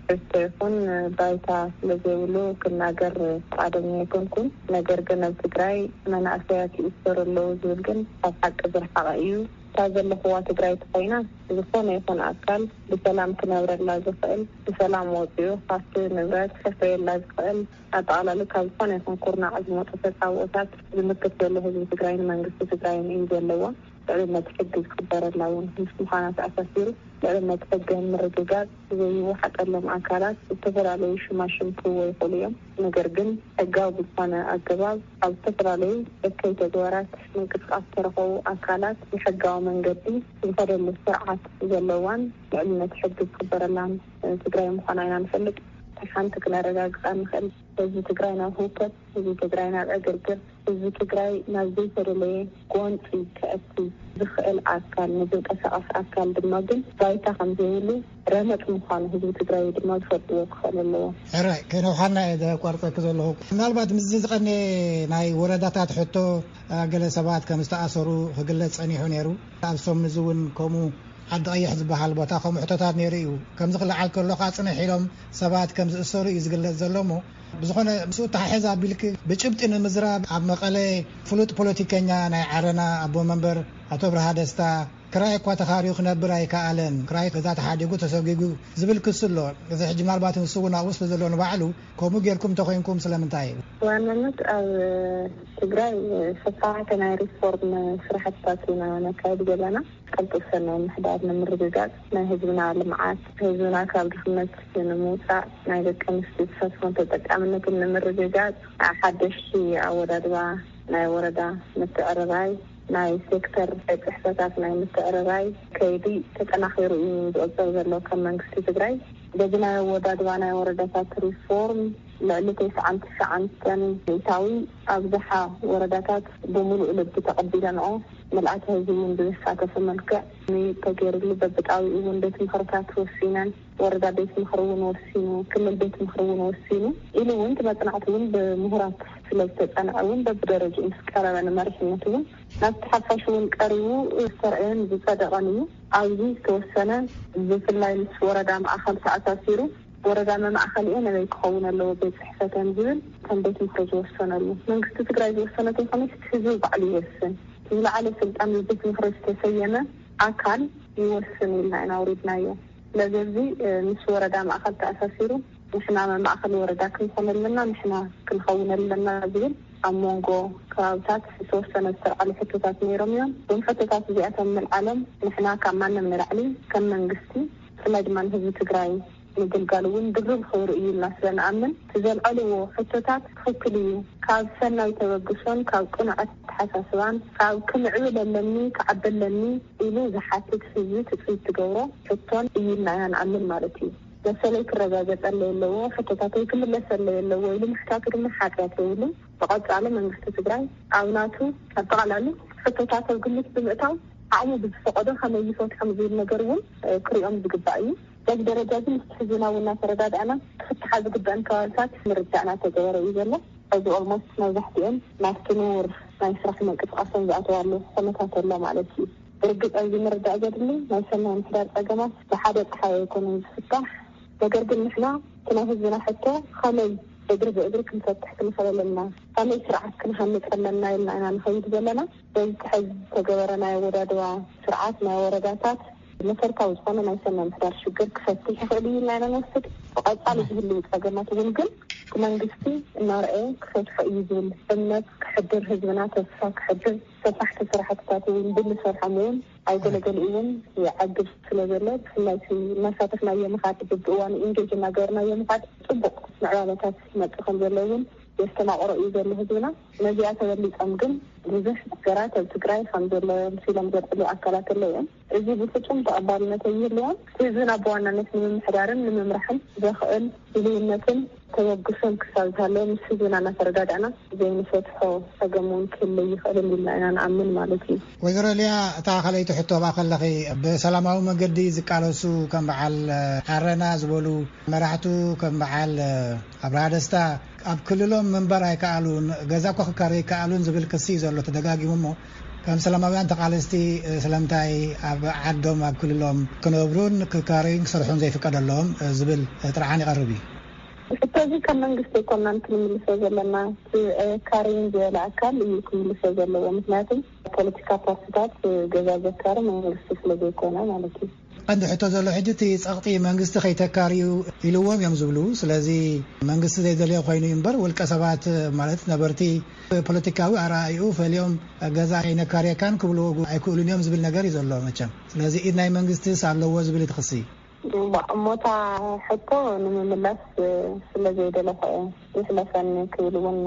ትሕዝቶ ይኹን ባይታ ስለዘይብሉ ክናገር ፍቓደኛ ኣይኮንኩን። ነገር ግን ኣብ ትግራይ መናእሰያት ይእሰሩ ኣለዉ ዝብል ግን ካብ ሓቂ ዝረሓቐ እዩ። እታ ዘለኽዋ ትግራይ ተኾይና ዝኾነ ይኹን ኣካል ብሰላም ክነብረላ ዝኽእል፣ ብሰላም ወፂኡ ሃፍቲ ንብረት ከፍርየላ ዝኽእል፣ ኣጠቓላሊ ካብ ዝኾነ ይኹን ኩርናዕ ዝመፁ ተፃብኦታት ዝምክት ዘሎ ህዝቢ ትግራይን መንግስቲ ትግራይን እዩ ዘለዎ። ልዕልነት ሕጊ ዝኽበረላ እውን ምስ ምዃና ተኣሳሲሩ ልዕልነት ሕጊ ንምርግጋፅ ዘይወሓጠሎም ኣካላት ዝተፈላለዩ ሽማሽም ክህቦ ይኽእሉ እዮም። ነገር ግን ሕጋዊ ብዝኾነ ኣገባብ ኣብ ዝተፈላለዩ እከይ ተግባራት ምንቅስቃስ ዝተረኸቡ ኣካላት ብሕጋዊ መንገዲ ዝኸደሉ ስርዓት ዘለዋን ልዕልነት ሕጊ ዝኽበረላን ትግራይ ምዃና ኢና ንፈልጥ። ሓንቲ ክነረጋግፃ ንኽእል። ህዝቢ ትግራይ ናብ ህውከት፣ ህዝቢ ትግራይ ናብ ዕግርግር፣ ህዝቢ ትግራይ ናብ ዘይተደለየ ጎንፂ ከእቲ ዝኽእል ኣካል፣ ንዝንቀሳቐስ ኣካል ድማ ግን ባይታ ከም ዘይብሉ ረመፅ ምዃኑ ህዝቢ ትግራይ ድማ ዝፈልጥዎ ክኽእል ኣለዎ። ሕራይ፣ ከይነውሓልና እየ ዘቋርፀኪ ዘለኹ። ምናልባት ምስዚ ዝቐነ ናይ ወረዳታት ሕቶ፣ አ፣ ገለ ሰባት ከም ዝተኣሰሩ ክግለጽ ጸኒሑ ነይሩ። ኣብ ሰሙን እዚ እውን ከምኡ ዓዲ ቀይሕ ዝበሃል ቦታ ከምኡ ሕቶታት ነይሩ እዩ። ከምዚ ክለዓል ከሎ ከዓ ጽንሕ ኢሎም ሰባት ከም ዝእሰሩ እዩ ዝግለጽ ዘሎ እሞ፣ ብዝኾነ ምስኡ ተሓሕዝ ኣቢልኪ ብጭብጢ ንምዝራብ ኣብ መቐለ ፍሉጥ ፖለቲከኛ ናይ ዓረና ኣቦ መንበር ኣቶ ብርሃ ደስታ ክራይ እኳ ተኻርዩ ክነብር ኣይከኣለን። ክራይ ገዛ ተሓዲጉ ተሰጒጉ ዝብል ክሲ ኣሎ። እዚ ሕጂ ምናልባት ንሱ እውን ኣብኡ ስለ ዘሎ ንባዕሉ ከምኡ ጌርኩም እንተኾይንኩም ስለምንታይ እዩ? ብዋናነት ኣብ ትግራይ ሰፋሕቲ ናይ ሪፎርም ስራሕትታት ኢና ነካይድ ዘለና። ቅልጡፍ ሰናይ ምሕዳር ንምርግጋፅ፣ ናይ ህዝብና ልምዓት፣ ህዝብና ካብ ድኽነት ንምውፃእ፣ ናይ ደቂ ኣንስትዮ ተሳትፎን ተጠቃምነትን ንምርግጋፅ፣ ሓደሽቲ ኣወዳድባ ናይ ወረዳ ምትዕርራይ፣ ናይ ሴክተር ጽሕፈታት ናይ ምትዕርራይ ከይዲ ተጠናኺሩ እዩ ዝቕጽል ዘሎ። ከም መንግስቲ ትግራይ በዚ ናይ ኣወዳድባ ናይ ወረዳታት ሪፎርም ልዕሊ ተስዓን ትሽዓን ሚእታዊ ኣብዝሓ ወረዳታት ብምሉእ ልቢ ተቐቢለንኦ፣ ምልኣተ ህዝቢ እውን ብዘሳተፈ መልክዕ ተገይሩሉ፣ በብጣቢኡ እውን ቤት ምኽርታት ወሲነን፣ ወረዳ ቤት ምኽሪ እውን ወሲኑ፣ ክልል ቤት ምኽሪ እውን ወሲኑ ኢሉ እውን እቲ መፅናዕቲ እውን ብምሁራት ስለ ዝተፀንዐ እውን በብደረጅኡ ምስ ቀረበ ንመሪሕነት እውን ናብቲ ሓፋሽ እውን ቀሪቡ ዝተረኣየን ዝፀደቐን እዩ። ኣብዚ ዝተወሰነ ብፍላይ ምስ ወረዳ ማእኸል ተኣሳሲሩ ወረዳ መማእኸሊኤ ነበይ ክኸውን ኣለዎ ቤት ፅሕፈተን ዝብል ከም ቤት ምኽሪ ዝወሰነሉ መንግስቲ ትግራይ ዝወሰነ ተይኮነስ እቲ ህዝቢ ባዕሉ ይወስን። ዝለዓለ ስልጣን ብቤት ምኽሪ ዝተሰየመ ኣካል ይወስን ኢልና ኢና ኣውሪድናዮ። ስለዚ እዚ ምስ ወረዳ ማእኸል ተኣሳሲሩ ንሕና መማእኸሊ ወረዳ ክንኾን ኣለና፣ ንሕና ክንኸውን ኣለና ዝብል ኣብ መንጎ ከባብታት ዝተወሰነ ዝተልዓሉ ሕቶታት ነይሮም እዮም። እዞም ሕቶታት እዚኣቶም ምልዓሎም ንሕና ካብ ማንም ንላዕሊ ከም መንግስቲ ብፍላይ ድማ ንህዝቢ ትግራይ ምግልጋል እውን ድርብ ክብሪ እዩ ኢልና ስለ ንኣምን እቲ ዘልዓልዎ ሕቶታት ትኽክል እዩ። ካብ ሰናይ ተበግሶን ካብ ቅኑዕ ኣተሓሳስባን ካብ ክምዕብል ኣለኒ ክዓቢ ኣለኒ ኢሉ ዝሓትት ህዝቢ ትፅቢት ትገብሮ ሕቶን እዩ ኢልና ኢና ንኣምን ማለት እዩ። መሰለይ ክረጋገፀለይ ኣለዎ፣ ሕቶታተይ ክምለሰለይ ኣለዎ ኢሉ ምሕታቱ ድማ ሓጢኣት የብሉን። ብቐፃሊ መንግስቲ ትግራይ ኣብ ናቱ ኣጠቓላሊ ሕቶታት ኣብ ግምት ብምእታው ዓቕሙ ብዝፈቐዶ ከመይ ይፈትሖም ዝብል ነገር እውን ክሪኦም ዝግባእ እዩ። በዚ ደረጃ እዚ ምስቲ ሕዝብና እውን እናተረዳዳእና ክፍትሓ ዝግበአን ከባብታት ምርዳእ እናተገበረ እዩ ዘሎ። ሕዚ ኦልሞስት መብዛሕትኦም ናብቲ ንቡር ናይ ስራሕ ምንቅስቃሶም ዝኣተዋሉ ኩነታት ኣሎ ማለት እዩ። ብርግፅ ኣብዚ ምርዳእ ዘድሊ ናይ ሰናይ ምሕዳር ፀገማት ብሓደ ፀሓይ ኣይኮነን ዝፍታሕ። ነገር ግን ንሕና እቲ ናይ ህዝብና ሕቶ ከመይ እግሪ ብእግሪ ክንፈትሕ ክንኽእል ኣለና፣ ከመይ ስርዓት ክንሃንፅ ኣለና ኢልና ኢና ንኸይድ ዘለና። በዚ ሕዚ ዝተገበረ ናይ ኣወዳድባ ስርዓት ናይ ወረዳታት መሰረታዊ ዝኾነ ናይ ሰናይ ምሕዳር ሽግር ክፈትሕ ይኽእል እዩ ኢልና ኢና ንወስድ። ብቐፃሊ ዝህልው ፀገማት እውን ግን መንግስቲ እናረኣየ ክፈትሖ እዩ ዝብል እምነት ክሕድር፣ ህዝብና ተስፋ ክሕድር፣ ሰፋሕቲ ስራሕትታት እውን ብንሰርሖም እውን ኣይገለገሉ እውን ይዓግብ ስለ ዘሎ ብፍላይ እቲ እናሳተፍናዮ ምኻድ ብብእዋኑ ኢንጌጅ እናገበርናዮ ምኻድ ፅቡቕ ምዕባለታት ይመፅእ ከም ዘሎ እውን የስተማቕሮ እዩ ዘሎ ህዝብና። ነዚኣ ተበሊፆም ግን ብዙሕ ነገራት ኣብ ትግራይ ከም ዘሎ ምስ ኢሎም ዘልዕሉ ኣካላት ኣለዉ እዮም። እዚ ብፍፁም ተቐባልነት ኣይህልዎን። ህዝብና ብዋናነት ንምምሕዳርን ንምምራሕን ዘኽእል ድልውነትን ተበግሶን ክሳብ ዝሃለወ ምስ ህዝብና እናተረዳዳእና ዘይንፈትሖ ፀገም እውን ክህልይ ይኽእል እንዲልና ኢና ንኣምን ማለት እዩ። ወይዘሮ ሊያ፣ እታ ካልኣይቲ ሕቶ ኣብኣ ከለኺ ብሰላማዊ መገዲ ዝቃለሱ ከም በዓል ዓረና ዝበሉ መራሕቱ ከም በዓል ኣብርሃ ደስታ ኣብ ክልሎም ምንባር ኣይከኣሉን፣ ገዛ እኳ ክካረዩ ኣይከኣሉን ዝብል ክሲ እዩ ዘሎ ተደጋጊሙ። እሞ ከም ሰላማውያን ተቓለስቲ ስለምንታይ ኣብ ዓዶም ኣብ ክልሎም ክነብሩን ክካረዩን ክሰርሑን ዘይፍቀደሎም ዝብል ጥርዓን ይቐርብ እዩ። ሕቶ እዚ ከም መንግስቲ ኣይኮናን ክንምልሶ ዘለና፣ እቲ ኣየካርይን ዝበለ ኣካል እዩ ክምልሶ ዘለዎ። ምክንያቱም ፖለቲካ ፓርቲታት ገዛ ዘካሪ መንግስቲ ስለ ዘይኮነ ማለት እዩ። ቀንዲ ሕቶ ዘሎ ሕጂ እቲ ጸቕጢ መንግስቲ ከይተካርዩ ኢልዎም እዮም ዝብሉ። ስለዚ መንግስቲ ዘይደልዮ ኮይኑ እዩ እምበር ውልቀ ሰባት ማለት ነበርቲ ፖለቲካዊ ኣረኣእይኡ ፈልዮም ገዛ ኣይነካርየካን ክብልዎ ኣይክእሉን እዮም ዝብል ነገር እዩ ዘሎ መቸም። ስለዚ ኢድ ናይ መንግስቲስ ኣለዎ ዝብል እቲ ክሲ። እሞ እታ ሕቶ ንምምላስ ስለ ዘይደለኹ እየ። ይሕለፈኒ ክብል እውን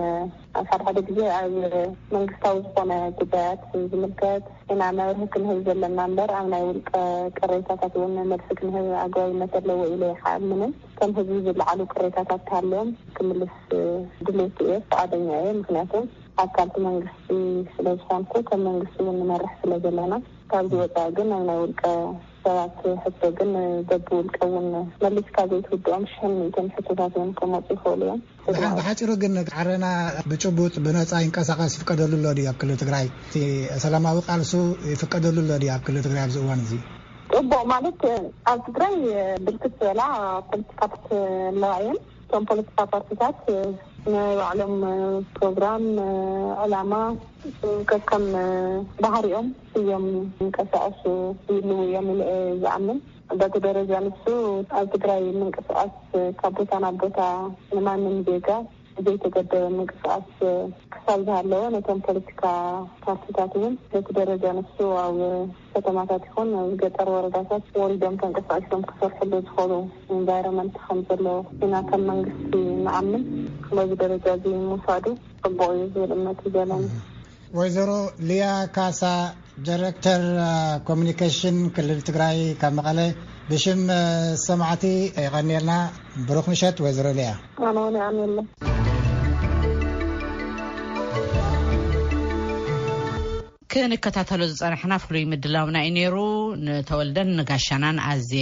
ኣብ ሓደ ሓደ ግዜ ኣብ መንግስታዊ ዝኾነ ጉዳያት ዝምልከት ኢና መብርሂ ክንህብ ዘለና እምበር ኣብ ናይ ውልቀ ቅሬታታት እውን መልሲ ክንህብ ኣግባብነት ኣለዎ ኢለ ኣይሓምንን። ከም ህዝቢ ዝለዓሉ ቅሬታታት ተሃልዮም ክምልስ ድሌት እየ፣ ፍቓደኛ እየ። ምክንያቱ ኣካልቲ መንግስቲ ስለ ዝኾንኩ ከም መንግስቲ እውን ንመርሕ ስለ ዘለና። ካብዚ ወፃኢ ግን ኣብ ናይ ውልቀ ሰባት ሕቶ ግን በብውልቀ እውን መሊስካ ዘይትውድኦም ሽሕን ሚእትን ሕቶታት እውን ክመፁ ይኽእሉ እዮም። ብሓ- ብሓፂሩ ግን ዓረና ብጭቡጥ ብነፃ ይንቀሳቐስ ይፍቀደሉ ኣሎ ድዩ ኣብ ክልል ትግራይ? እቲ ሰላማዊ ቃልሱ ይፍቀደሉ ኣሎ ድዩ ኣብ ክልል ትግራይ ኣብዚ እዋን እዚ? ፅቡቕ ማለት ኣብ ትግራይ ብርክት ዝበላ ፖለቲካ ፓርቲ ኣለዋ እየን። እቶም ፖለቲካ ፓርቲታት ናይ ባዕሎም ፕሮግራም፣ ዕላማ፣ ከከም ባህሪኦም እዮም ዝንቀሳቐሱ ይህልዉ እዮም ኢለ እየ ዝኣምን። በቲ ደረጃ ንሱ ኣብ ትግራይ ምንቅስቓስ ካብ ቦታ ናብ ቦታ ንማንም ዜጋ ዘይተገደበ ምንቅስቓስ ክሳብ ዝሃለወ ነቶም ፖለቲካ ፓርቲታት እውን በቲ ደረጃ ንሱ ኣብ ከተማታት ይኹን ኣብ ገጠር ወረዳታት ወሪዶም ተንቀሳቒሶም ክሰርሕሉ ዝኽእሉ ኢንቫይሮመንት ከም ዘሎ ኢና ከም መንግስቲ ንኣምን። በዚ ደረጃ እዚ ምውሳዱ ፅቡቕ እዩ ዝብል እምነት እዩ ዘለኒ። ወይዘሮ ሊያ ካሳ፣ ዳይሬክተር ኮሚኒኬሽን ክልል ትግራይ ካብ መቐለ፣ ብሽም ሰማዕቲ የቐንየልና። ብሩኽ ምሸት ወይዘሮ ሊያ። ኣነ እውን የቐንየልና። ክንከታተሎ ዝጸናሕና ፍሉይ ምድላውና እዩ ነይሩ። ንተወልደን ንጋሻናን ኣዝየ